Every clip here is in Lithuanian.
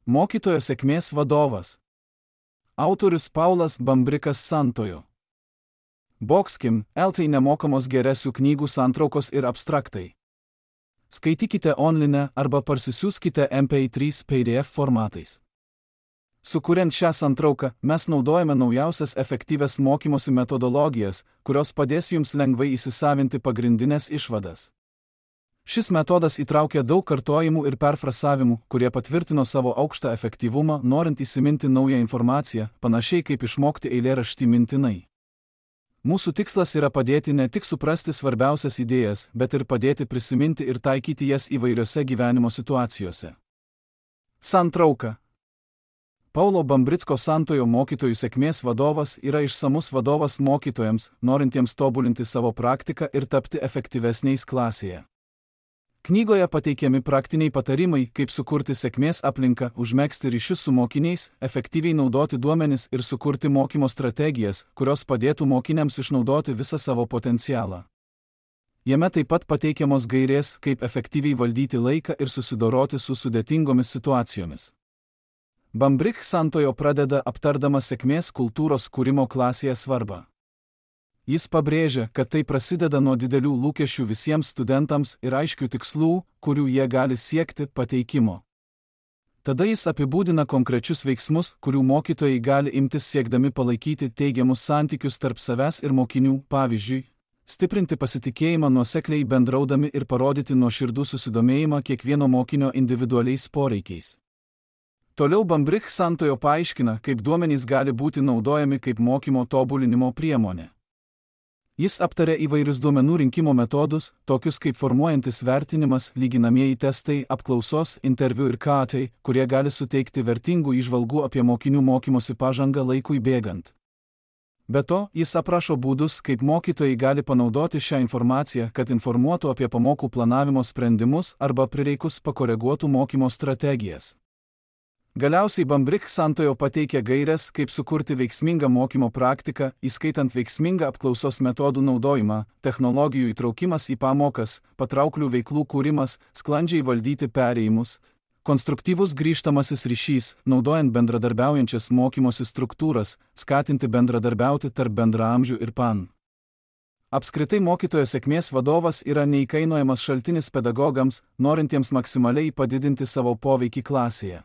Mokytojo sėkmės vadovas. Autorius Paulas Bambrikas Santojo. Boxkim, LT nemokamos geresių knygų santraukos ir abstraktai. Skaitykite online arba parsisiųskite MP3 PDF formatais. Sukuriant šią santrauką, mes naudojame naujausias efektyvias mokymosi metodologijas, kurios padės jums lengvai įsisavinti pagrindinės išvadas. Šis metodas įtraukia daug kartojimų ir perfrasavimų, kurie patvirtino savo aukštą efektyvumą, norint įsiminti naują informaciją, panašiai kaip išmokti eilėraštį mintinai. Mūsų tikslas yra padėti ne tik suprasti svarbiausias idėjas, bet ir padėti prisiminti ir taikyti jas įvairiose gyvenimo situacijose. Santrauka. Paulo Bambricko Santojo mokytojų sėkmės vadovas yra išsamus vadovas mokytojams, norintiems tobulinti savo praktiką ir tapti efektyvesniais klasėje. Knygoje pateikiami praktiniai patarimai, kaip sukurti sėkmės aplinką, užmegzti ryšius su mokiniais, efektyviai naudoti duomenis ir sukurti mokymo strategijas, kurios padėtų mokiniams išnaudoti visą savo potencialą. Jame taip pat pateikiamos gairės, kaip efektyviai valdyti laiką ir susidoroti su sudėtingomis situacijomis. Bambrick Santojo pradeda aptardamas sėkmės kultūros kūrimo klasėje svarbą. Jis pabrėžia, kad tai prasideda nuo didelių lūkesčių visiems studentams ir aiškių tikslų, kurių jie gali siekti, pateikimo. Tada jis apibūdina konkrečius veiksmus, kurių mokytojai gali imtis siekdami palaikyti teigiamus santykius tarp savęs ir mokinių, pavyzdžiui, stiprinti pasitikėjimą nuosekliai bendraudami ir parodyti nuoširdų susidomėjimą kiekvieno mokinio individualiais poreikiais. Toliau Bambrick Santojo paaiškina, kaip duomenys gali būti naudojami kaip mokymo tobulinimo priemonė. Jis aptarė įvairius duomenų rinkimo metodus, tokius kaip formuojantis vertinimas, lyginamieji testai, apklausos, interviu ir KAT, kurie gali suteikti vertingų įžvalgų apie mokinių mokymosi pažangą laikui bėgant. Be to, jis aprašo būdus, kaip mokytojai gali panaudoti šią informaciją, kad informuotų apie pamokų planavimo sprendimus arba prireikus pakoreguotų mokymo strategijas. Galiausiai Bambrick Santojo pateikia gaires, kaip sukurti veiksmingą mokymo praktiką, įskaitant veiksmingą apklausos metodų naudojimą, technologijų įtraukimas į pamokas, patrauklių veiklų kūrimas, sklandžiai valdyti perėjimus, konstruktyvus grįžtamasis ryšys, naudojant bendradarbiaujančias mokymosi struktūras, skatinti bendradarbiauti tarp bendraamžių ir PAN. Apskritai mokytojo sėkmės vadovas yra neįkainojamas šaltinis pedagogams, norintiems maksimaliai padidinti savo poveikį klasėje.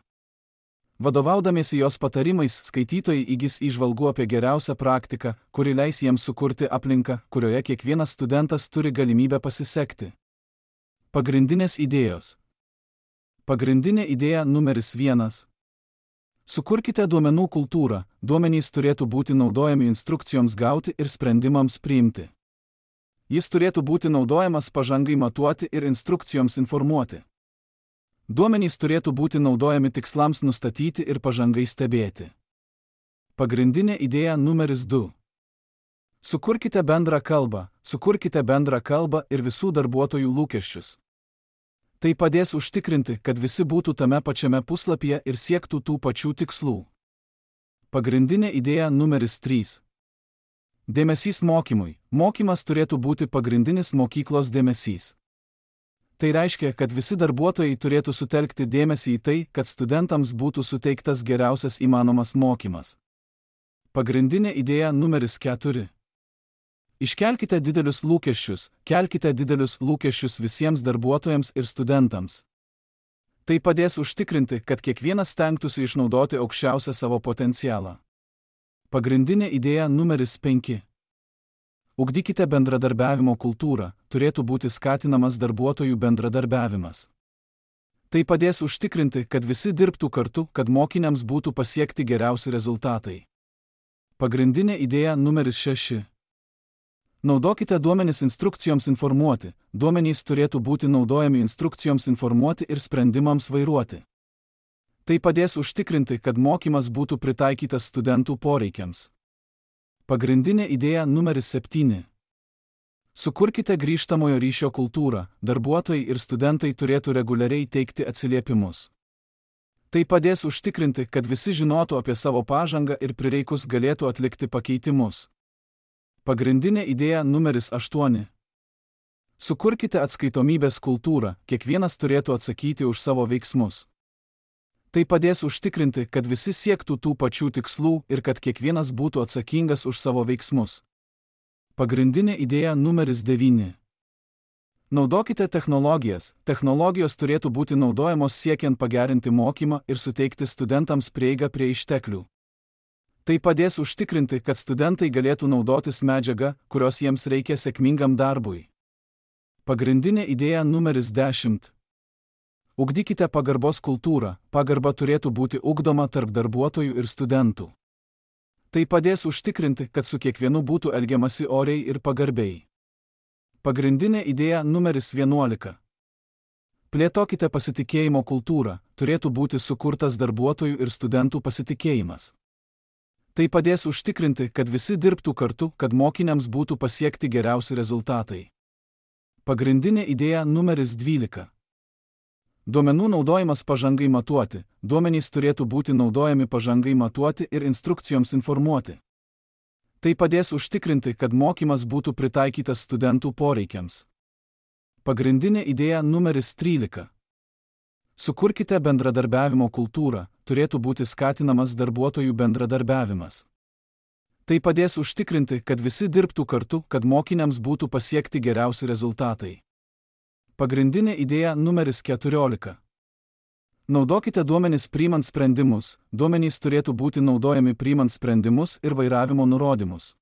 Vadovaudamiesi jos patarimais, skaitytojai įgis įžvalgų apie geriausią praktiką, kuri leis jiems sukurti aplinką, kurioje kiekvienas studentas turi galimybę pasisekti. Pagrindinės idėjos. Pagrindinė idėja numeris 1. Sukurkite duomenų kultūrą, duomenys turėtų būti naudojami instrukcijoms gauti ir sprendimams priimti. Jis turėtų būti naudojamas pažangai matuoti ir instrukcijoms informuoti. Duomenys turėtų būti naudojami tikslams nustatyti ir pažangai stebėti. Pagrindinė idėja numeris 2. Sukurkite bendrą kalbą ir visų darbuotojų lūkesčius. Tai padės užtikrinti, kad visi būtų tame pačiame puslapyje ir siektų tų pačių tikslų. Pagrindinė idėja numeris 3. Dėmesys mokymui. Mokymas turėtų būti pagrindinis mokyklos dėmesys. Tai reiškia, kad visi darbuotojai turėtų sutelkti dėmesį į tai, kad studentams būtų suteiktas geriausias įmanomas mokymas. Pagrindinė idėja numeris 4. Iškelkite didelius lūkesčius visiems darbuotojams ir studentams. Tai padės užtikrinti, kad kiekvienas stengtųsi išnaudoti aukščiausią savo potencialą. Pagrindinė idėja numeris 5. Ugdykite bendradarbiavimo kultūrą, turėtų būti skatinamas darbuotojų bendradarbiavimas. Tai padės užtikrinti, kad visi dirbtų kartu, kad mokiniams būtų pasiekti geriausi rezultatai. Pagrindinė idėja numeris 6. Naudokite duomenis instrukcijoms informuoti, duomenys turėtų būti naudojami instrukcijoms informuoti ir sprendimams vairuoti. Tai padės užtikrinti, kad mokymas būtų pritaikytas studentų poreikiams. Pagrindinė idėja numeris 7. Sukurkite grįžtamojo ryšio kultūrą, darbuotojai ir studentai turėtų reguliariai teikti atsiliepimus. Tai padės užtikrinti, kad visi žinotų apie savo pažangą ir prireikus galėtų atlikti pakeitimus. Pagrindinė idėja numeris 8. Sukurkite atskaitomybės kultūrą, kiekvienas turėtų atsakyti už savo veiksmus. Tai padės užtikrinti, kad visi siektų tų pačių tikslų ir kad kiekvienas būtų atsakingas už savo veiksmus. Pagrindinė idėja numeris 9. Naudokite technologijas. Technologijos turėtų būti naudojamos siekiant pagerinti mokymą ir suteikti studentams prieigą prie išteklių. Tai padės užtikrinti, kad studentai galėtų naudotis medžiagą, kurios jiems reikia sėkmingam darbui. Pagrindinė idėja numeris 10. Ugdykite pagarbos kultūrą. Pagarba turėtų būti ugdoma tarp darbuotojų ir studentų. Tai padės užtikrinti, kad su kiekvienu būtų elgiamasi oriai ir pagarbiai. Pagrindinė idėja numeris 11. Plėtokite pasitikėjimo kultūrą. Turėtų būti sukurtas darbuotojų ir studentų pasitikėjimas. Tai padės užtikrinti, kad visi dirbtų kartu, kad mokiniams būtų pasiekti geriausi rezultatai. Pagrindinė idėja numeris 12. Duomenų naudojimas pažangai matuoti. Duomenys turėtų būti naudojami pažangai matuoti ir instrukcijoms informuoti. Tai padės užtikrinti, kad mokymas būtų pritaikytas studentų poreikiams. Pagrindinė idėja numeris 13. Sukurkite bendradarbiavimo kultūrą. Turėtų būti skatinamas darbuotojų bendradarbiavimas. Tai padės užtikrinti, kad visi dirbtų kartu, kad mokiniams būtų pasiekti geriausi rezultatai. Pagrindinė idėja numeris 14. Naudokite duomenis priimant sprendimus. Duomenys turėtų būti naudojami priimant sprendimus ir vairavimo nurodymus.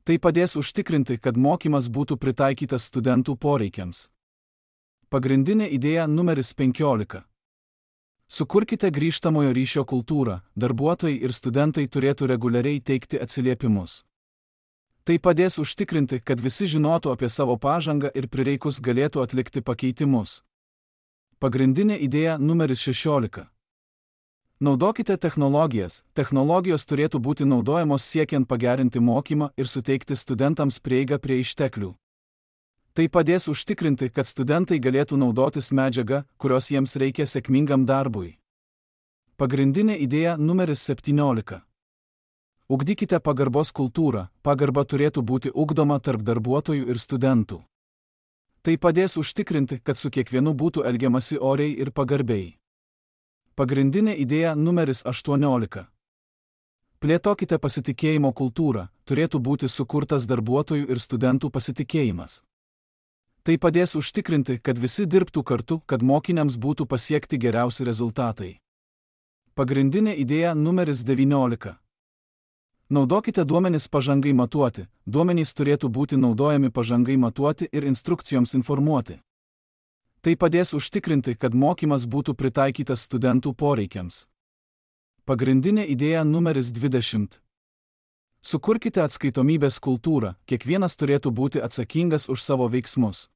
Tai padės užtikrinti, kad mokymas būtų pritaikytas studentų poreikiams. Pagrindinė idėja numeris 15. Sukurkite grįžtamojo ryšio kultūrą. Darbuotojai ir studentai turėtų reguliariai teikti atsiliepimus. Tai padės užtikrinti, kad visi žinotų apie savo pažangą ir prireikus galėtų atlikti pakeitimus. Pagrindinė idėja numeris 16. Naudokite technologijas. Technologijos turėtų būti naudojamos siekiant pagerinti mokymą ir suteikti studentams prieigą prie išteklių. Tai padės užtikrinti, kad studentai galėtų naudotis medžiaga, kurios jiems reikia sėkmingam darbui. Pagrindinė idėja numeris 17. Ugdykite pagarbos kultūrą. Pagarba turėtų būti ugdoma tarp darbuotojų ir studentų. Tai padės užtikrinti, kad su kiekvienu būtų elgiamasi oriai ir pagarbiai. Pagrindinė idėja numeris 18. Plėtokite pasitikėjimo kultūrą. Turėtų būti sukurtas darbuotojų ir studentų pasitikėjimas. Tai padės užtikrinti, kad visi dirbtų kartu, kad mokiniams būtų pasiekti geriausi rezultatai. Pagrindinė idėja numeris 19. Naudokite duomenis pažangai matuoti. Duomenys turėtų būti naudojami pažangai matuoti ir instrukcijoms informuoti. Tai padės užtikrinti, kad mokymas būtų pritaikytas studentų poreikiams. Pagrindinė idėja numeris 20. Sukurkite atskaitomybės kultūrą. Kiekvienas turėtų būti atsakingas už savo veiksmus.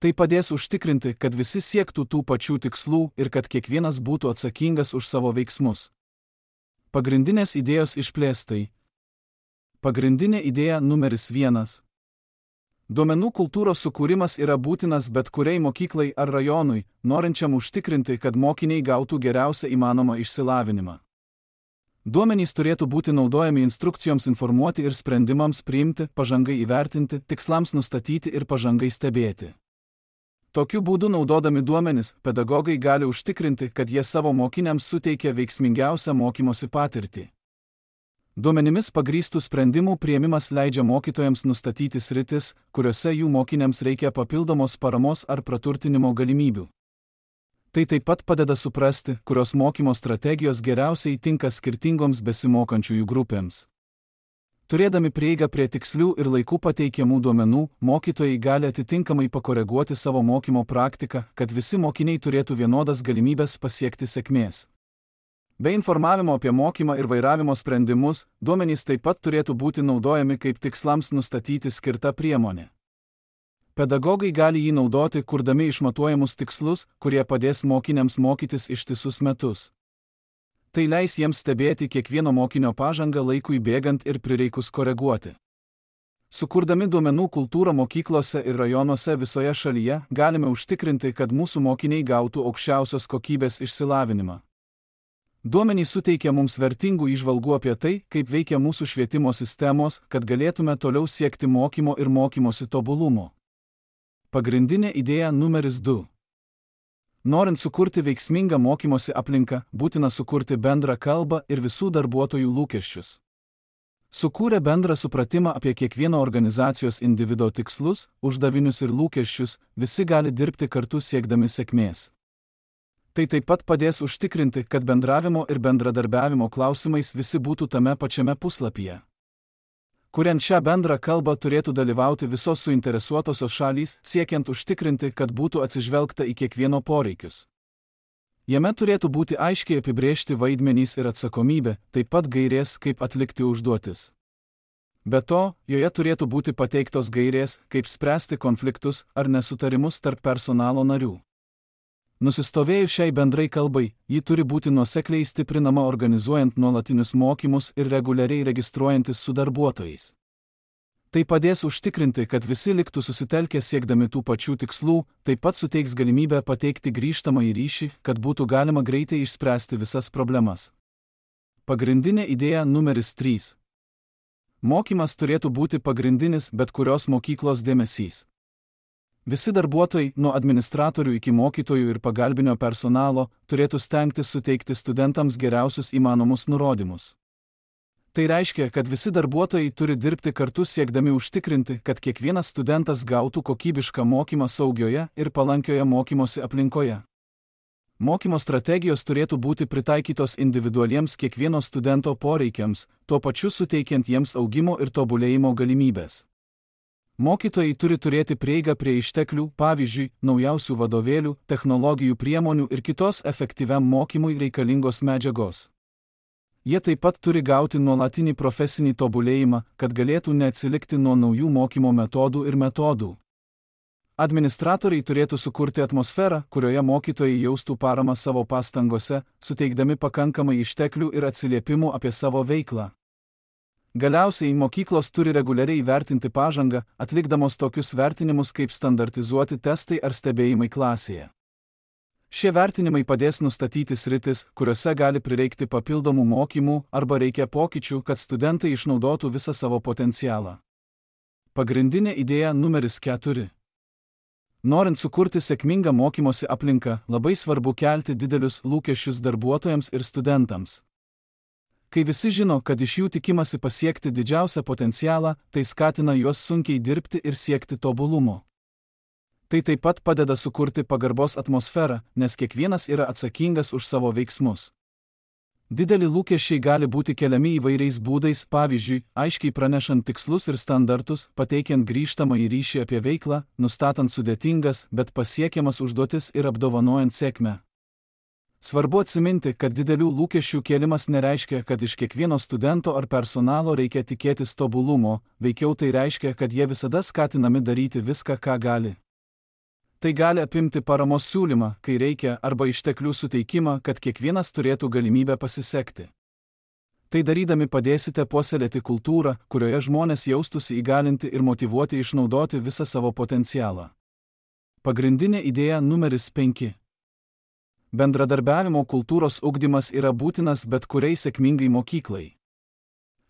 Tai padės užtikrinti, kad visi siektų tų pačių tikslų ir kad kiekvienas būtų atsakingas už savo veiksmus. Pagrindinės idėjos išplėstai. Pagrindinė idėja numeris 1. Duomenų kultūros sukūrimas yra būtinas bet kuriai mokyklai ar rajonui, norinčiam užtikrinti, kad mokiniai gautų geriausią įmanomą išsilavinimą. Duomenys turėtų būti naudojami instrukcijoms informuoti ir sprendimams priimti, pažangai įvertinti, tikslams nustatyti ir pažangai stebėti. Tokiu būdu naudodami duomenis, pedagogai gali užtikrinti, kad jie savo mokiniams suteikia veiksmingiausią mokymosi patirtį. Duomenimis pagrįstų sprendimų priėmimas leidžia mokytojams nustatyti sritis, kuriuose jų mokiniams reikia papildomos paramos ar praturtinimo galimybių. Tai taip pat padeda suprasti, kurios mokymo strategijos geriausiai tinka skirtingoms besimokančiųjų grupėms. Turėdami prieigą prie tikslių ir laiku pateikiamų duomenų, mokytojai gali atitinkamai pakoreguoti savo mokymo praktiką, kad visi mokiniai turėtų vienodas galimybės pasiekti sėkmės. Be informavimo apie mokymą ir vairavimo sprendimus, duomenys taip pat turėtų būti naudojami kaip tikslams nustatyti skirta priemonė. Pedagogai gali jį naudoti, kurdami išmatuojamus tikslus, kurie padės mokiniams mokytis ištisus metus. Tai leis jiems stebėti kiekvieno mokinio pažangą laikui bėgant ir prireikus koreguoti. Sukurdami duomenų kultūrą mokyklose ir rajonuose visoje šalyje, galime užtikrinti, kad mūsų mokiniai gautų aukščiausios kokybės išsilavinimą. Duomenys suteikia mums vertingų įžvalgų apie tai, kaip veikia mūsų švietimo sistemos, kad galėtume toliau siekti mokymo ir mokymosi tobulumo. Pagrindinė idėja numeris 2. Norint sukurti veiksmingą mokymosi aplinką, būtina sukurti bendrą kalbą ir visų darbuotojų lūkesčius. Sukūrę bendrą supratimą apie kiekvieno organizacijos individo tikslus, uždavinius ir lūkesčius, visi gali dirbti kartu siekdami sėkmės. Tai taip pat padės užtikrinti, kad bendravimo ir bendradarbiavimo klausimais visi būtų tame pačiame puslapyje. Kuriant šią bendrą kalbą turėtų dalyvauti visos suinteresuotosios šalys, siekiant užtikrinti, kad būtų atsižvelgta į kiekvieno poreikius. Jame turėtų būti aiškiai apibrėžti vaidmenys ir atsakomybė, taip pat gairės, kaip atlikti užduotis. Be to, joje turėtų būti pateiktos gairės, kaip spręsti konfliktus ar nesutarimus tarp personalo narių. Nusistovėjus šiai bendrai kalbai, ji turi būti nuosekliai stiprinama organizuojant nuolatinius mokymus ir reguliariai registruojantis su darbuotojais. Tai padės užtikrinti, kad visi liktų susitelkę siekdami tų pačių tikslų, taip pat suteiks galimybę pateikti grįžtamąjį ryšį, kad būtų galima greitai išspręsti visas problemas. Pagrindinė idėja numeris 3. Mokymas turėtų būti pagrindinis bet kurios mokyklos dėmesys. Visi darbuotojai, nuo administratorių iki mokytojų ir pagalbinio personalo, turėtų stengtis suteikti studentams geriausius įmanomus nurodymus. Tai reiškia, kad visi darbuotojai turi dirbti kartu siekdami užtikrinti, kad kiekvienas studentas gautų kokybišką mokymą saugioje ir palankioje mokymosi aplinkoje. Mokymo strategijos turėtų būti pritaikytos individualiems kiekvieno studento poreikiams, tuo pačiu suteikiant jiems augimo ir tobulėjimo galimybės. Mokytojai turi turėti prieigą prie išteklių, pavyzdžiui, naujausių vadovėlių, technologijų priemonių ir kitos efektyviam mokymui reikalingos medžiagos. Jie taip pat turi gauti nuolatinį profesinį tobulėjimą, kad galėtų neatsilikti nuo naujų mokymo metodų ir metodų. Administratoriai turėtų sukurti atmosferą, kurioje mokytojai jaustų paramą savo pastangose, suteikdami pakankamai išteklių ir atsiliepimų apie savo veiklą. Galiausiai mokyklos turi reguliariai vertinti pažangą, atlikdamos tokius vertinimus kaip standartizuoti testai ar stebėjimai klasėje. Šie vertinimai padės nustatyti sritis, kuriuose gali prireikti papildomų mokymų arba reikia pokyčių, kad studentai išnaudotų visą savo potencialą. Pagrindinė idėja numeris 4. Norint sukurti sėkmingą mokymosi aplinką, labai svarbu kelti didelius lūkesčius darbuotojams ir studentams. Kai visi žino, kad iš jų tikimasi pasiekti didžiausią potencialą, tai skatina juos sunkiai dirbti ir siekti tobulumo. Tai taip pat padeda sukurti pagarbos atmosferą, nes kiekvienas yra atsakingas už savo veiksmus. Dideli lūkesčiai gali būti keliami įvairiais būdais, pavyzdžiui, aiškiai pranešant tikslus ir standartus, pateikiant grįžtamąjį ryšį apie veiklą, nustatant sudėtingas, bet pasiekiamas užduotis ir apdovanojant sėkmę. Svarbu atsiminti, kad didelių lūkesčių kėlimas nereiškia, kad iš kiekvieno studento ar personalo reikia tikėtis tobulumo, veikiau tai reiškia, kad jie visada skatinami daryti viską, ką gali. Tai gali apimti paramos siūlymą, kai reikia, arba išteklių suteikimą, kad kiekvienas turėtų galimybę pasisekti. Tai darydami padėsite puoselėti kultūrą, kurioje žmonės jaustųsi įgalinti ir motyvuoti išnaudoti visą savo potencialą. Pagrindinė idėja numeris 5. Bendradarbiavimo kultūros ugdymas yra būtinas bet kuriai sėkmingai mokyklai.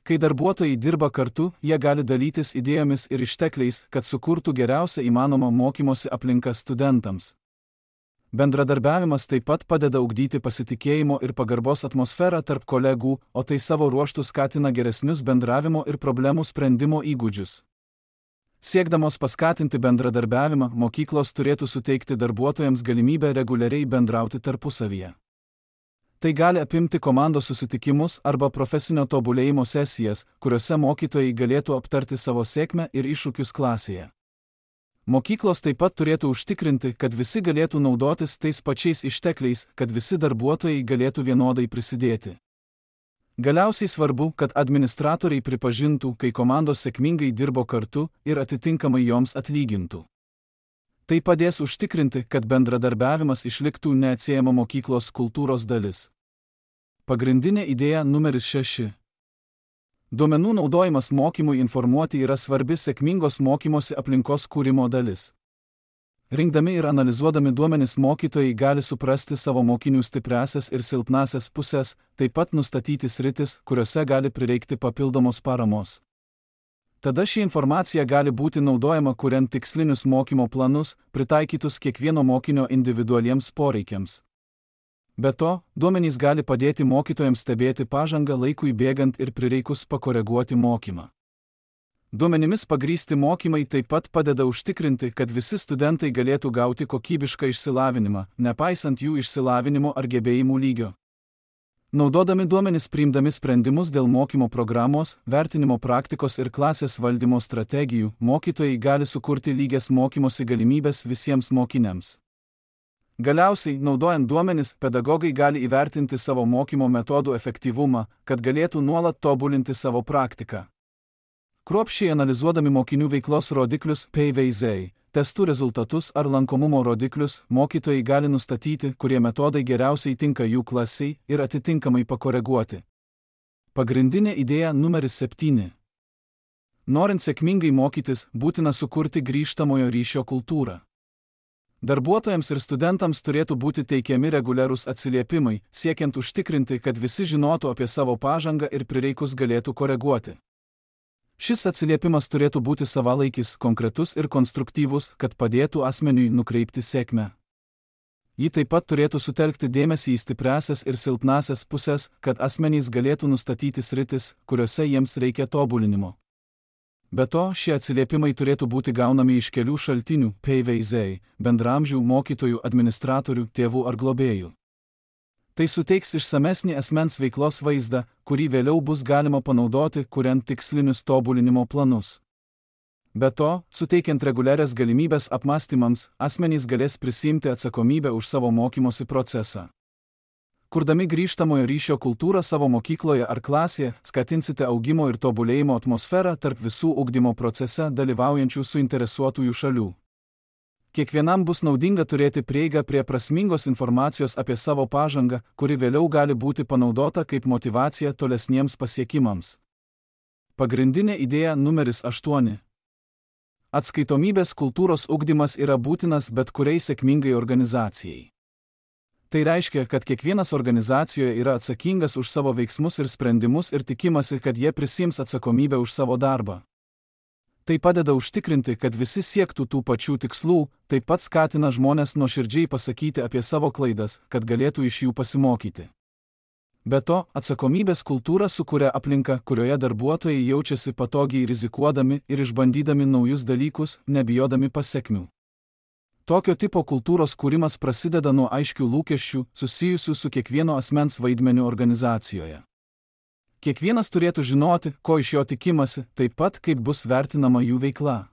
Kai darbuotojai dirba kartu, jie gali dalytis idėjomis ir ištekliais, kad sukurtų geriausią įmanomą mokymosi aplinką studentams. Bendradarbiavimas taip pat padeda ugdyti pasitikėjimo ir pagarbos atmosferą tarp kolegų, o tai savo ruožtu skatina geresnius bendravimo ir problemų sprendimo įgūdžius. Siekdamos paskatinti bendradarbiavimą, mokyklos turėtų suteikti darbuotojams galimybę reguliariai bendrauti tarpusavyje. Tai gali apimti komandos susitikimus arba profesinio tobulėjimo sesijas, kuriuose mokytojai galėtų aptarti savo sėkmę ir iššūkius klasėje. Mokyklos taip pat turėtų užtikrinti, kad visi galėtų naudotis tais pačiais ištekliais, kad visi darbuotojai galėtų vienodai prisidėti. Galiausiai svarbu, kad administratoriai pripažintų, kai komandos sėkmingai dirbo kartu ir atitinkamai joms atlygintų. Tai padės užtikrinti, kad bendradarbiavimas išliktų neatsiejama mokyklos kultūros dalis. Pagrindinė idėja numeris 6. Duomenų naudojimas mokymui informuoti yra svarbi sėkmingos mokymosi aplinkos kūrimo dalis. Rinkdami ir analizuodami duomenis mokytojai gali suprasti savo mokinių stipriąsias ir silpnąsias pusės, taip pat nustatyti sritis, kuriuose gali prireikti papildomos paramos. Tada ši informacija gali būti naudojama kuriant tikslinius mokymo planus, pritaikytus kiekvieno mokinio individualiems poreikiams. Be to, duomenys gali padėti mokytojams stebėti pažangą laikui bėgant ir prireikus pakoreguoti mokymą. Duomenimis pagrįsti mokymai taip pat padeda užtikrinti, kad visi studentai galėtų gauti kokybišką išsilavinimą, nepaisant jų išsilavinimo ar gebėjimų lygio. Naudodami duomenis priimdami sprendimus dėl mokymo programos, vertinimo praktikos ir klasės valdymo strategijų, mokytojai gali sukurti lygias mokymosi galimybės visiems mokiniams. Galiausiai, naudojant duomenis, pedagogai gali įvertinti savo mokymo metodų efektyvumą, kad galėtų nuolat tobulinti savo praktiką. Kruopščiai analizuodami mokinių veiklos rodiklius PVZ, testų rezultatus ar lankomumo rodiklius, mokytojai gali nustatyti, kurie metodai geriausiai tinka jų klasiai ir atitinkamai pakoreguoti. Pagrindinė idėja numeris 7. Norint sėkmingai mokytis, būtina sukurti grįžtamojo ryšio kultūrą. Darbuotojams ir studentams turėtų būti teikiami reguliarūs atsiliepimai, siekiant užtikrinti, kad visi žinotų apie savo pažangą ir prireikus galėtų koreguoti. Šis atsiliepimas turėtų būti savalaikis, konkretus ir konstruktyvus, kad padėtų asmeniui nukreipti sėkmę. Ji taip pat turėtų sutelkti dėmesį į stipriąsias ir silpnąsias pusės, kad asmenys galėtų nustatyti sritis, kuriuose jiems reikia tobulinimo. Be to, šie atsiliepimai turėtų būti gaunami iš kelių šaltinių PVZ, bendraamžių, mokytojų, administratorių, tėvų ar globėjų. Tai suteiks išsamesnį asmens veiklos vaizdą, kurį vėliau bus galima panaudoti, kuriant tikslinius tobulinimo planus. Be to, suteikiant reguliarias galimybės apmąstymams, asmenys galės prisiimti atsakomybę už savo mokymosi procesą. Kurdami grįžtamojo ryšio kultūrą savo mokykloje ar klasėje, skatinsite augimo ir tobulėjimo atmosferą tarp visų ugdymo procese dalyvaujančių suinteresuotųjų šalių. Kiekvienam bus naudinga turėti prieigą prie prasmingos informacijos apie savo pažangą, kuri vėliau gali būti panaudota kaip motyvacija tolesniems pasiekimams. Pagrindinė idėja numeris 8. Atskaitomybės kultūros ugdymas yra būtinas bet kuriai sėkmingai organizacijai. Tai reiškia, kad kiekvienas organizacijoje yra atsakingas už savo veiksmus ir sprendimus ir tikimasi, kad jie prisiims atsakomybę už savo darbą. Tai padeda užtikrinti, kad visi siektų tų pačių tikslų, taip pat skatina žmones nuoširdžiai pasakyti apie savo klaidas, kad galėtų iš jų pasimokyti. Be to, atsakomybės kultūra sukuria aplinką, kurioje darbuotojai jaučiasi patogiai rizikuodami ir išbandydami naujus dalykus, nebijodami pasekmių. Tokio tipo kultūros kūrimas prasideda nuo aiškių lūkesčių, susijusių su kiekvieno asmens vaidmeniu organizacijoje. Kiekvienas turėtų žinoti, ko iš jo tikimasi, taip pat kaip bus vertinama jų veikla.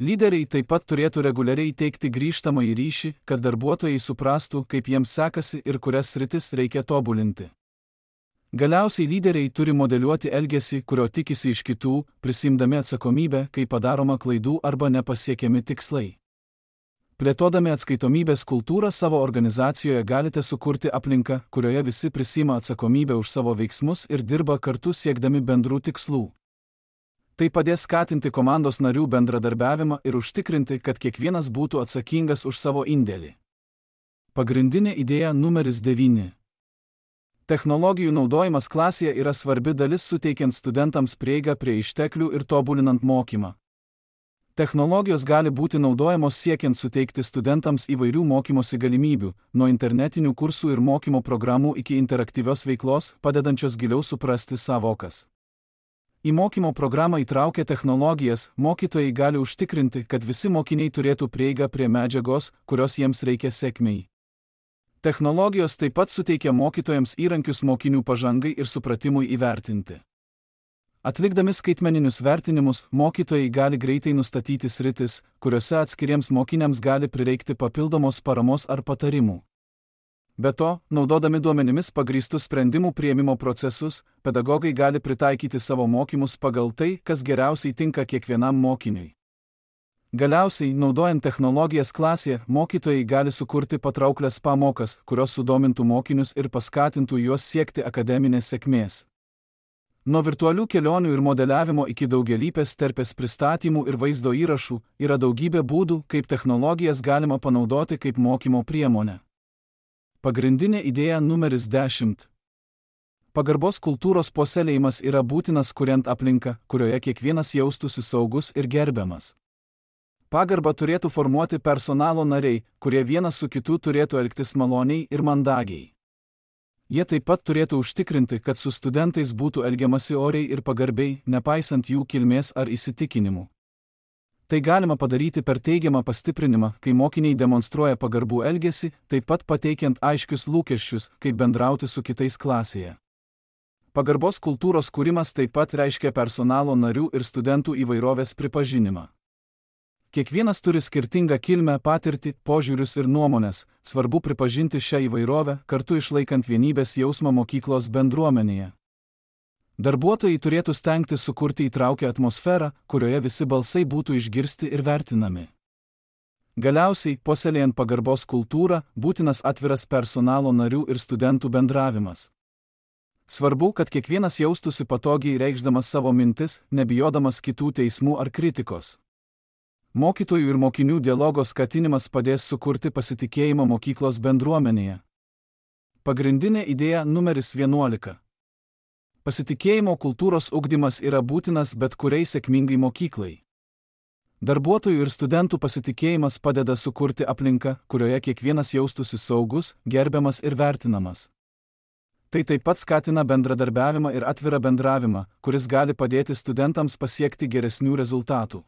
Lyderiai taip pat turėtų reguliariai teikti grįžtamąjį ryšį, kad darbuotojai suprastų, kaip jiems sekasi ir kurias sritis reikia tobulinti. Galiausiai lyderiai turi modeliuoti elgesį, kurio tikisi iš kitų, prisiimdami atsakomybę, kai padaroma klaidų arba nepasiekiami tikslai. Plėtodami atskaitomybės kultūrą savo organizacijoje galite sukurti aplinką, kurioje visi prisiima atsakomybę už savo veiksmus ir dirba kartu siekdami bendrų tikslų. Tai padės skatinti komandos narių bendradarbiavimą ir užtikrinti, kad kiekvienas būtų atsakingas už savo indėlį. Pagrindinė idėja numeris 9. Technologijų naudojimas klasėje yra svarbi dalis suteikiant studentams prieigą prie išteklių ir tobulinant mokymą. Technologijos gali būti naudojamos siekiant suteikti studentams įvairių mokymosi galimybių, nuo internetinių kursų ir mokymo programų iki interaktyvios veiklos, padedančios giliau suprasti savokas. Į mokymo programą įtraukę technologijas, mokytojai gali užtikrinti, kad visi mokiniai turėtų prieigą prie medžiagos, kurios jiems reikia sėkmei. Technologijos taip pat suteikia mokytojams įrankius mokinių pažangai ir supratimui įvertinti. Atlikdami skaitmeninius vertinimus, mokytojai gali greitai nustatyti sritis, kuriuose atskiriems mokiniams gali prireikti papildomos paramos ar patarimų. Be to, naudodami duomenimis pagrįstus sprendimų priėmimo procesus, pedagogai gali pritaikyti savo mokymus pagal tai, kas geriausiai tinka kiekvienam mokiniui. Galiausiai, naudojant technologijas klasėje, mokytojai gali sukurti patrauklias pamokas, kurios sudomintų mokinius ir paskatintų juos siekti akademinės sėkmės. Nuo virtualių kelionių ir modeliavimo iki daugialypės terpės pristatymų ir vaizdo įrašų yra daugybė būdų, kaip technologijas galima panaudoti kaip mokymo priemonę. Pagrindinė idėja numeris 10. Pagarbos kultūros puoselėjimas yra būtinas kuriant aplinką, kurioje kiekvienas jaustųsi saugus ir gerbiamas. Pagarbą turėtų formuoti personalo nariai, kurie vienas su kitu turėtų elgtis maloniai ir mandagiai. Jie taip pat turėtų užtikrinti, kad su studentais būtų elgiamasi oriai ir pagarbiai, nepaisant jų kilmės ar įsitikinimų. Tai galima padaryti per teigiamą pastiprinimą, kai mokiniai demonstruoja pagarbų elgesį, taip pat pateikiant aiškius lūkesčius, kaip bendrauti su kitais klasėje. Pagarbos kultūros kūrimas taip pat reiškia personalo narių ir studentų įvairovės pripažinimą. Kiekvienas turi skirtingą kilmę, patirtį, požiūrius ir nuomonės, svarbu pripažinti šią įvairovę, kartu išlaikant vienybės jausmą mokyklos bendruomenėje. Darbuotojai turėtų stengtis sukurti įtraukią atmosferą, kurioje visi balsai būtų išgirsti ir vertinami. Galiausiai, puoselėjant pagarbos kultūrą, būtinas atviras personalo narių ir studentų bendravimas. Svarbu, kad kiekvienas jaustųsi patogiai reikšdamas savo mintis, nebijodamas kitų teismų ar kritikos. Mokytojų ir mokinių dialogo skatinimas padės sukurti pasitikėjimą mokyklos bendruomenėje. Pagrindinė idėja numeris 11. Pasitikėjimo kultūros ugdymas yra būtinas bet kuriai sėkmingai mokyklai. Darbuotojų ir studentų pasitikėjimas padeda sukurti aplinką, kurioje kiekvienas jaustųsi saugus, gerbiamas ir vertinamas. Tai taip pat skatina bendradarbiavimą ir atvirą bendravimą, kuris gali padėti studentams pasiekti geresnių rezultatų.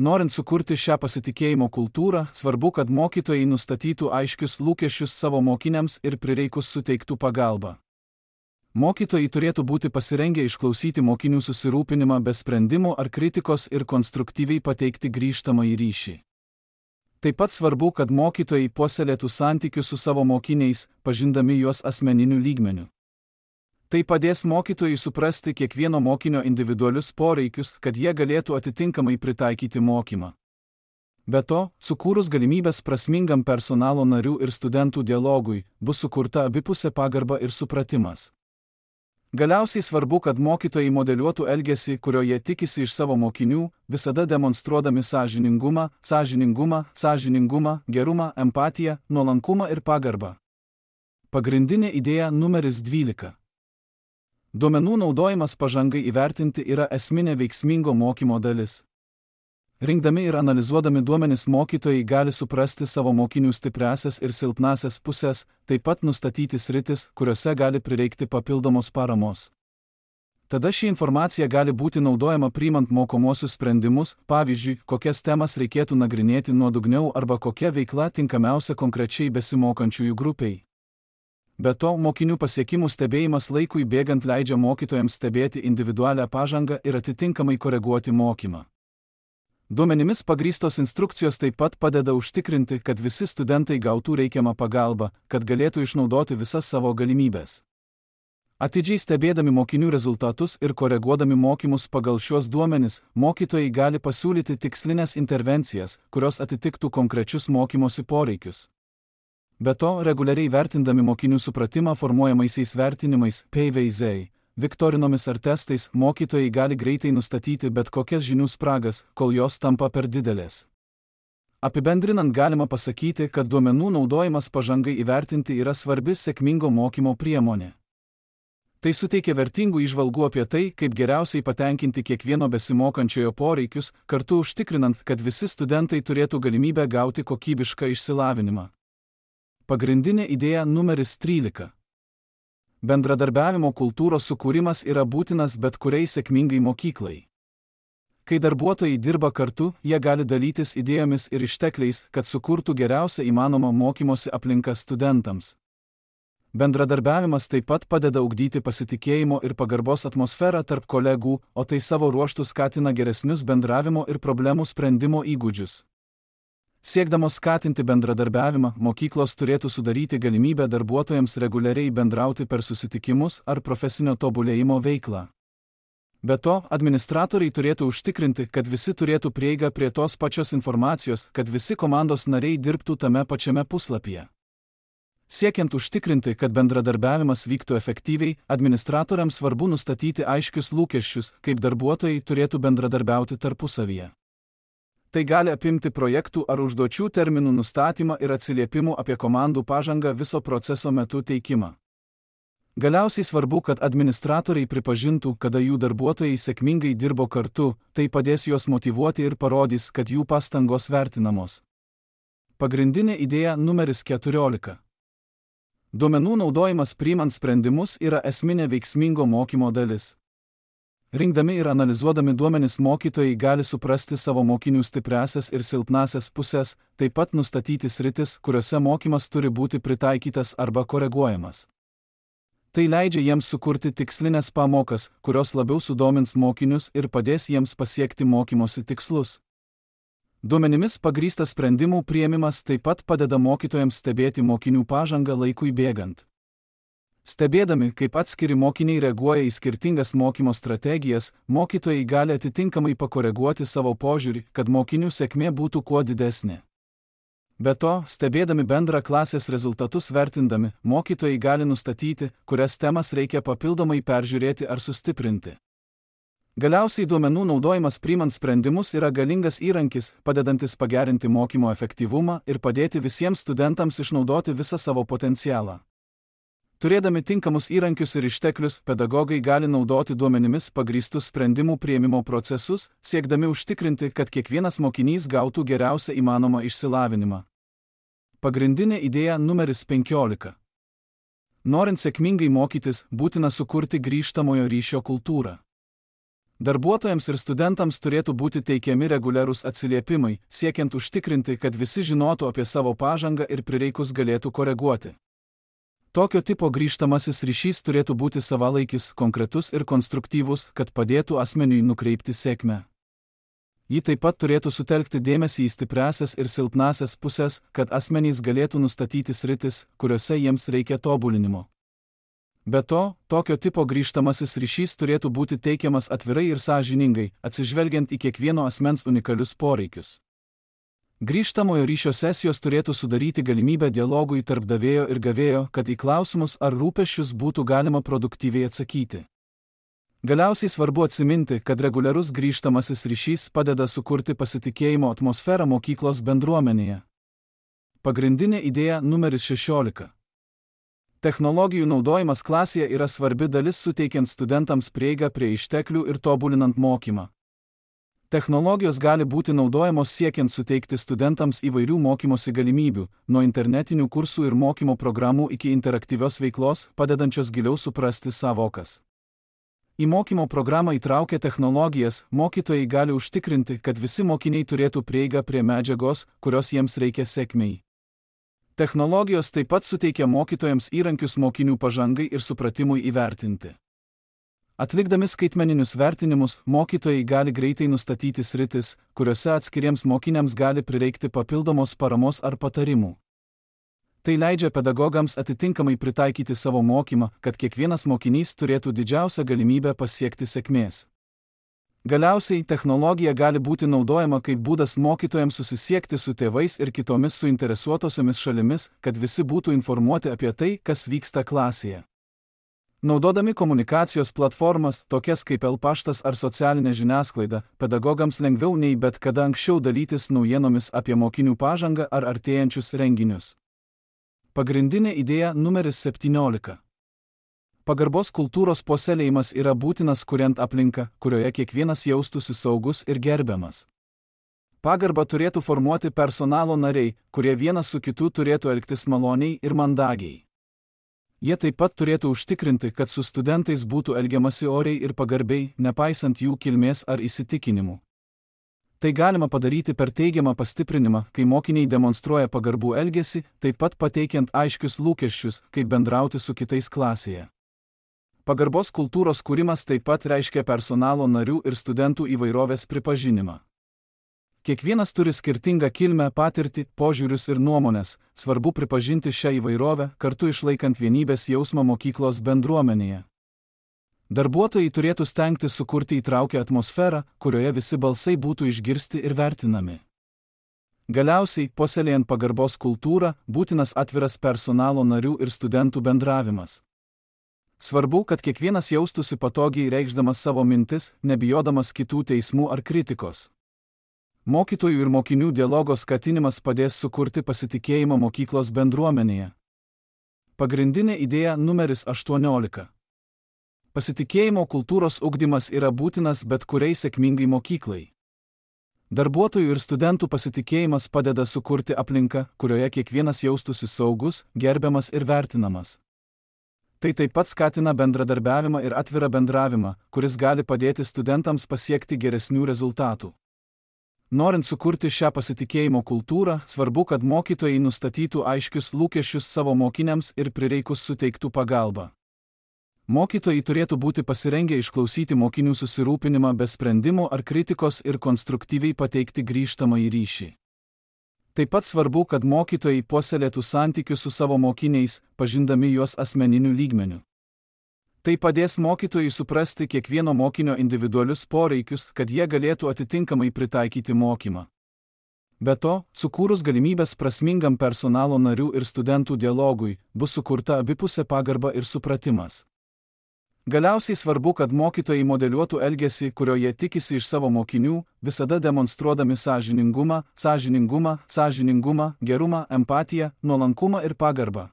Norint sukurti šią pasitikėjimo kultūrą, svarbu, kad mokytojai nustatytų aiškius lūkesčius savo mokiniams ir prireikus suteiktų pagalbą. Mokytojai turėtų būti pasirengę išklausyti mokinių susirūpinimą be sprendimų ar kritikos ir konstruktyviai pateikti grįžtamąjį ryšį. Taip pat svarbu, kad mokytojai puoselėtų santykius su savo mokiniais, pažindami juos asmeniniu lygmeniu. Tai padės mokytojui suprasti kiekvieno mokinio individualius poreikius, kad jie galėtų atitinkamai pritaikyti mokymą. Be to, sukūrus galimybės prasmingam personalo narių ir studentų dialogui, bus sukurta abipusė pagarba ir supratimas. Galiausiai svarbu, kad mokytojai modeliuotų elgesį, kurio jie tikisi iš savo mokinių, visada demonstruodami sąžiningumą, gerumą, empatiją, nuolankumą ir pagarbą. Pagrindinė idėja numeris 12. Duomenų naudojimas pažangai įvertinti yra esminė veiksmingo mokymo dalis. Rinkdami ir analizuodami duomenis mokytojai gali suprasti savo mokinių stipriąsias ir silpnąsias pusės, taip pat nustatyti sritis, kuriuose gali prireikti papildomos paramos. Tada ši informacija gali būti naudojama priimant mokomuosius sprendimus, pavyzdžiui, kokias temas reikėtų nagrinėti nuodugniau arba kokia veikla tinkamiausia konkrečiai besimokančiųjų grupiai. Be to, mokinių pasiekimų stebėjimas laikui bėgant leidžia mokytojams stebėti individualią pažangą ir atitinkamai koreguoti mokymą. Duomenimis pagrįstos instrukcijos taip pat padeda užtikrinti, kad visi studentai gautų reikiamą pagalbą, kad galėtų išnaudoti visas savo galimybės. Atidžiai stebėdami mokinių rezultatus ir koreguodami mokymus pagal šiuos duomenis, mokytojai gali pasiūlyti tikslinės intervencijas, kurios atitiktų konkrečius mokymosi poreikius. Be to, reguliariai vertindami mokinių supratimą formuojamaisiais vertinimais, PVZ, viktorinomis ar testais, mokytojai gali greitai nustatyti bet kokias žinių spragas, kol jos tampa per didelės. Apibendrinant galima pasakyti, kad duomenų naudojimas pažangai įvertinti yra svarbi sėkmingo mokymo priemonė. Tai suteikia vertingų įžvalgų apie tai, kaip geriausiai patenkinti kiekvieno besimokančiojo poreikius, kartu užtikrinant, kad visi studentai turėtų galimybę gauti kokybišką išsilavinimą. Pagrindinė idėja numeris 13. Bendradarbiavimo kultūros sukūrimas yra būtinas bet kuriai sėkmingai mokyklai. Kai darbuotojai dirba kartu, jie gali dalytis idėjomis ir ištekliais, kad sukurtų geriausią įmanomą mokymosi aplinką studentams. Bendradarbiavimas taip pat padeda ugdyti pasitikėjimo ir pagarbos atmosferą tarp kolegų, o tai savo ruožtu skatina geresnius bendravimo ir problemų sprendimo įgūdžius. Siekdamos skatinti bendradarbiavimą, mokyklos turėtų sudaryti galimybę darbuotojams reguliariai bendrauti per susitikimus ar profesinio tobulėjimo veiklą. Be to, administratoriai turėtų užtikrinti, kad visi turėtų prieigą prie tos pačios informacijos, kad visi komandos nariai dirbtų tame pačiame puslapyje. Siekiant užtikrinti, kad bendradarbiavimas vyktų efektyviai, administratoriams svarbu nustatyti aiškius lūkesčius, kaip darbuotojai turėtų bendradarbiauti tarpusavyje. Tai gali apimti projektų ar užduočių terminų nustatymą ir atsiliepimų apie komandų pažangą viso proceso metu teikimą. Galiausiai svarbu, kad administratoriai pripažintų, kada jų darbuotojai sėkmingai dirbo kartu, tai padės juos motyvuoti ir parodys, kad jų pastangos vertinamos. Pagrindinė idėja numeris 14. Duomenų naudojimas priimant sprendimus yra esminė veiksmingo mokymo dalis. Rinkdami ir analizuodami duomenis mokytojai gali suprasti savo mokinių stipriąsias ir silpnąsias pusės, taip pat nustatyti sritis, kuriuose mokymas turi būti pritaikytas arba koreguojamas. Tai leidžia jiems sukurti tikslinės pamokas, kurios labiau sudomins mokinius ir padės jiems pasiekti mokymosi tikslus. Duomenimis pagrįstas sprendimų priėmimas taip pat padeda mokytojams stebėti mokinių pažangą laikui bėgant. Stebėdami, kaip atskiri mokiniai reaguoja į skirtingas mokymo strategijas, mokytojai gali atitinkamai pakoreguoti savo požiūrį, kad mokinių sėkmė būtų kuo didesnė. Be to, stebėdami bendrą klasės rezultatus vertindami, mokytojai gali nustatyti, kurias temas reikia papildomai peržiūrėti ar sustiprinti. Galiausiai duomenų naudojimas priimant sprendimus yra galingas įrankis, padedantis pagerinti mokymo efektyvumą ir padėti visiems studentams išnaudoti visą savo potencialą. Turėdami tinkamus įrankius ir išteklius, pedagogai gali naudoti duomenimis pagrįstus sprendimų priėmimo procesus, siekdami užtikrinti, kad kiekvienas mokinys gautų geriausią įmanomą išsilavinimą. Pagrindinė idėja numeris 15. Norint sėkmingai mokytis, būtina sukurti grįžtamojo ryšio kultūrą. Darbuotojams ir studentams turėtų būti teikiami reguliarūs atsiliepimai, siekiant užtikrinti, kad visi žinotų apie savo pažangą ir prireikus galėtų koreguoti. Tokio tipo grįžtamasis ryšys turėtų būti savalaikis, konkretus ir konstruktyvus, kad padėtų asmeniui nukreipti sėkmę. Ji taip pat turėtų sutelkti dėmesį į stipriąsias ir silpnąsias pusės, kad asmenys galėtų nustatyti sritis, kuriuose jiems reikia tobulinimo. Be to, tokio tipo grįžtamasis ryšys turėtų būti teikiamas atvirai ir sąžiningai, atsižvelgiant į kiekvieno asmens unikalius poreikius. Grįžtamojo ryšio sesijos turėtų sudaryti galimybę dialogui tarp davėjo ir gavėjo, kad į klausimus ar rūpesčius būtų galima produktyviai atsakyti. Galiausiai svarbu atsiminti, kad reguliarus grįžtamasis ryšys padeda sukurti pasitikėjimo atmosferą mokyklos bendruomenėje. Pagrindinė idėja numeris 16. Technologijų naudojimas klasėje yra svarbi dalis suteikiant studentams prieigą prie išteklių ir tobulinant mokymą. Technologijos gali būti naudojamos siekiant suteikti studentams įvairių mokymosi galimybių, nuo internetinių kursų ir mokymo programų iki interaktyvios veiklos, padedančios giliau suprasti savokas. Į mokymo programą įtraukę technologijas, mokytojai gali užtikrinti, kad visi mokiniai turėtų prieigą prie medžiagos, kurios jiems reikia sėkmei. Technologijos taip pat suteikia mokytojams įrankius mokinių pažangai ir supratimui įvertinti. Atlikdami skaitmeninius vertinimus, mokytojai gali greitai nustatyti sritis, kuriuose atskiriems mokiniams gali prireikti papildomos paramos ar patarimų. Tai leidžia pedagogams atitinkamai pritaikyti savo mokymą, kad kiekvienas mokinys turėtų didžiausią galimybę pasiekti sėkmės. Galiausiai, technologija gali būti naudojama kaip būdas mokytojams susisiekti su tėvais ir kitomis suinteresuotosiomis šalimis, kad visi būtų informuoti apie tai, kas vyksta klasėje. Naudodami komunikacijos platformas, tokias kaip e-paštas ar socialinė žiniasklaida, pedagogams lengviau nei bet kada anksčiau dalytis naujienomis apie mokinių pažangą ar artėjančius renginius. Pagrindinė idėja numeris 17. Pagarbos kultūros puoselėjimas yra būtinas kuriant aplinką, kurioje kiekvienas jaustųsi saugus ir gerbiamas. Pagarbą turėtų formuoti personalo nariai, kurie vienas su kitu turėtų elgtis maloniai ir mandagiai. Jie taip pat turėtų užtikrinti, kad su studentais būtų elgiamasi oriai ir pagarbiai, nepaisant jų kilmės ar įsitikinimų. Tai galima padaryti per teigiamą pastiprinimą, kai mokiniai demonstruoja pagarbų elgesį, taip pat pateikiant aiškius lūkesčius, kaip bendrauti su kitais klasėje. Pagarbos kultūros kūrimas taip pat reiškia personalo narių ir studentų įvairovės pripažinimą. Kiekvienas turi skirtingą kilmę, patirtį, požiūrius ir nuomonės, svarbu pripažinti šią įvairovę, kartu išlaikant vienybės jausmą mokyklos bendruomenėje. Darbuotojai turėtų stengtis sukurti įtraukią atmosferą, kurioje visi balsai būtų išgirsti ir vertinami. Galiausiai, puoselėjant pagarbos kultūrą, būtinas atviras personalo narių ir studentų bendravimas. Svarbu, kad kiekvienas jaustųsi patogiai reikšdamas savo mintis, nebijodamas kitų teismų ar kritikos. Mokytojų ir mokinių dialogo skatinimas padės sukurti pasitikėjimą mokyklos bendruomenėje. Pagrindinė idėja numeris 18. Pasitikėjimo kultūros ugdymas yra būtinas bet kuriai sėkmingai mokyklai. Darbuotojų ir studentų pasitikėjimas padeda sukurti aplinką, kurioje kiekvienas jaustųsi saugus, gerbiamas ir vertinamas. Tai taip pat skatina bendradarbiavimą ir atvirą bendravimą, kuris gali padėti studentams pasiekti geresnių rezultatų. Norint sukurti šią pasitikėjimo kultūrą, svarbu, kad mokytojai nustatytų aiškius lūkesčius savo mokiniams ir prireikus suteiktų pagalbą. Mokytojai turėtų būti pasirengę išklausyti mokinių susirūpinimą be sprendimų ar kritikos ir konstruktyviai pateikti grįžtamąjį ryšį. Taip pat svarbu, kad mokytojai puoselėtų santykius su savo mokiniais, pažindami juos asmeniniu lygmeniu. Tai padės mokytojai suprasti kiekvieno mokinio individualius poreikius, kad jie galėtų atitinkamai pritaikyti mokymą. Be to, sukūrus galimybės prasmingam personalo narių ir studentų dialogui, bus sukurta abipusė pagarba ir supratimas. Galiausiai svarbu, kad mokytojai modeliuotų elgesį, kurio jie tikisi iš savo mokinių, visada demonstruodami sąžiningumą, gerumą, empatiją, nuolankumą ir pagarbą.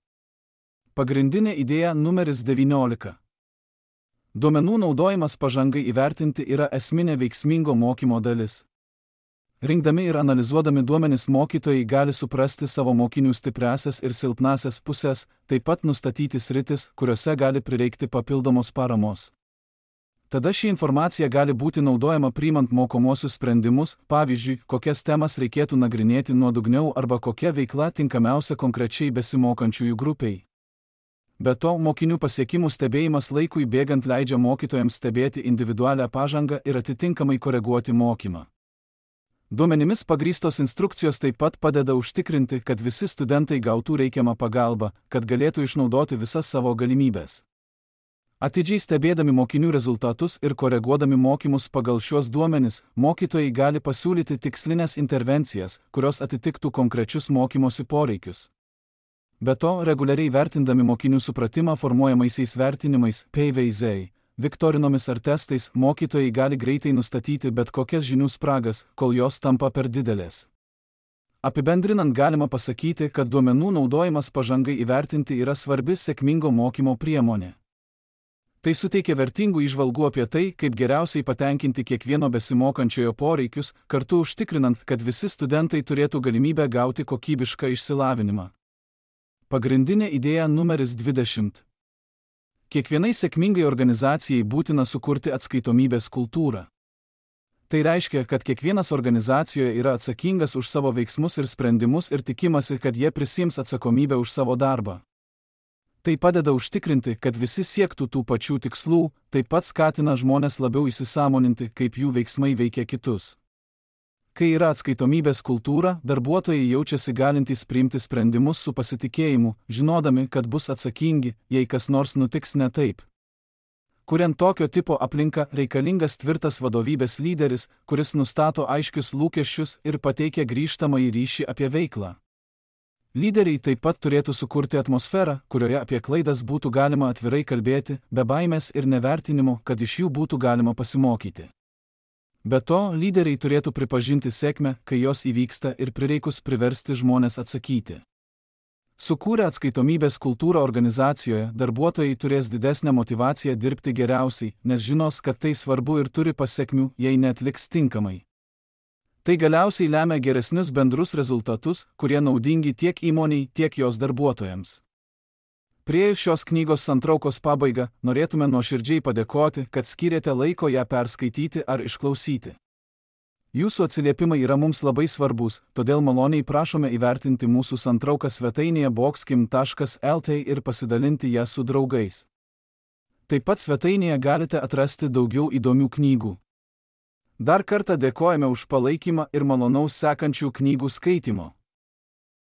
Pagrindinė idėja numeris 19. Duomenų naudojimas pažangai įvertinti yra esminė veiksmingo mokymo dalis. Rinkdami ir analizuodami duomenis mokytojai gali suprasti savo mokinių stipriąsias ir silpnąsias pusės, taip pat nustatyti sritis, kuriuose gali prireikti papildomos paramos. Tada ši informacija gali būti naudojama priimant mokomuosius sprendimus, pavyzdžiui, kokias temas reikėtų nagrinėti nuodugniau arba kokia veikla tinkamiausia konkrečiai besimokančiųjų grupiai. Be to, mokinių pasiekimų stebėjimas laikui bėgant leidžia mokytojams stebėti individualią pažangą ir atitinkamai koreguoti mokymą. Duomenimis pagrįstos instrukcijos taip pat padeda užtikrinti, kad visi studentai gautų reikiamą pagalbą, kad galėtų išnaudoti visas savo galimybės. Atidžiai stebėdami mokinių rezultatus ir koreguodami mokymus pagal šiuos duomenis, mokytojai gali pasiūlyti tikslinės intervencijas, kurios atitiktų konkrečius mokymosi poreikius. Be to, reguliariai vertindami mokinių supratimą formuojamaisiais vertinimais, PVZ, viktorinomis ar testais, mokytojai gali greitai nustatyti bet kokias žinių spragas, kol jos tampa per didelės. Apibendrinant galima pasakyti, kad duomenų naudojimas pažangai įvertinti yra svarbi sėkmingo mokymo priemonė. Tai suteikia vertingų įžvalgų apie tai, kaip geriausiai patenkinti kiekvieno besimokančiojo poreikius, kartu užtikrinant, kad visi studentai turėtų galimybę gauti kokybišką išsilavinimą. Pagrindinė idėja numeris 20. Kiekvienai sėkmingai organizacijai būtina sukurti atskaitomybės kultūrą. Tai reiškia, kad kiekvienas organizacijoje yra atsakingas už savo veiksmus ir sprendimus ir tikimasi, kad jie prisiims atsakomybę už savo darbą. Tai padeda užtikrinti, kad visi siektų tų pačių tikslų, taip pat skatina žmones labiau įsisąmoninti, kaip jų veiksmai veikia kitus. Kai yra atskaitomybės kultūra, darbuotojai jaučiasi galintys priimti sprendimus su pasitikėjimu, žinodami, kad bus atsakingi, jei kas nors nutiks ne taip. Kuriant tokio tipo aplinką, reikalingas tvirtas vadovybės lyderis, kuris nustato aiškius lūkesčius ir pateikia grįžtamąjį ryšį apie veiklą. Lyderiai taip pat turėtų sukurti atmosferą, kurioje apie klaidas būtų galima atvirai kalbėti, be baimės ir nevertinimo, kad iš jų būtų galima pasimokyti. Be to, lyderiai turėtų pripažinti sėkmę, kai jos įvyksta ir prireikus priversti žmones atsakyti. Sukūrę atskaitomybės kultūrą organizacijoje, darbuotojai turės didesnę motyvaciją dirbti geriausiai, nes žinos, kad tai svarbu ir turi pasekmių, jei neatliks tinkamai. Tai galiausiai lemia geresnius bendrus rezultatus, kurie naudingi tiek įmoniai, tiek jos darbuotojams. Priėjus šios knygos santraukos pabaigą, norėtume nuoširdžiai padėkoti, kad skyrėte laiko ją perskaityti ar išklausyti. Jūsų atsiliepimai yra mums labai svarbus, todėl maloniai prašome įvertinti mūsų santrauką svetainėje boxkim.lt ir pasidalinti ją su draugais. Taip pat svetainėje galite atrasti daugiau įdomių knygų. Dar kartą dėkojame už palaikymą ir malonaus sekančių knygų skaitimo.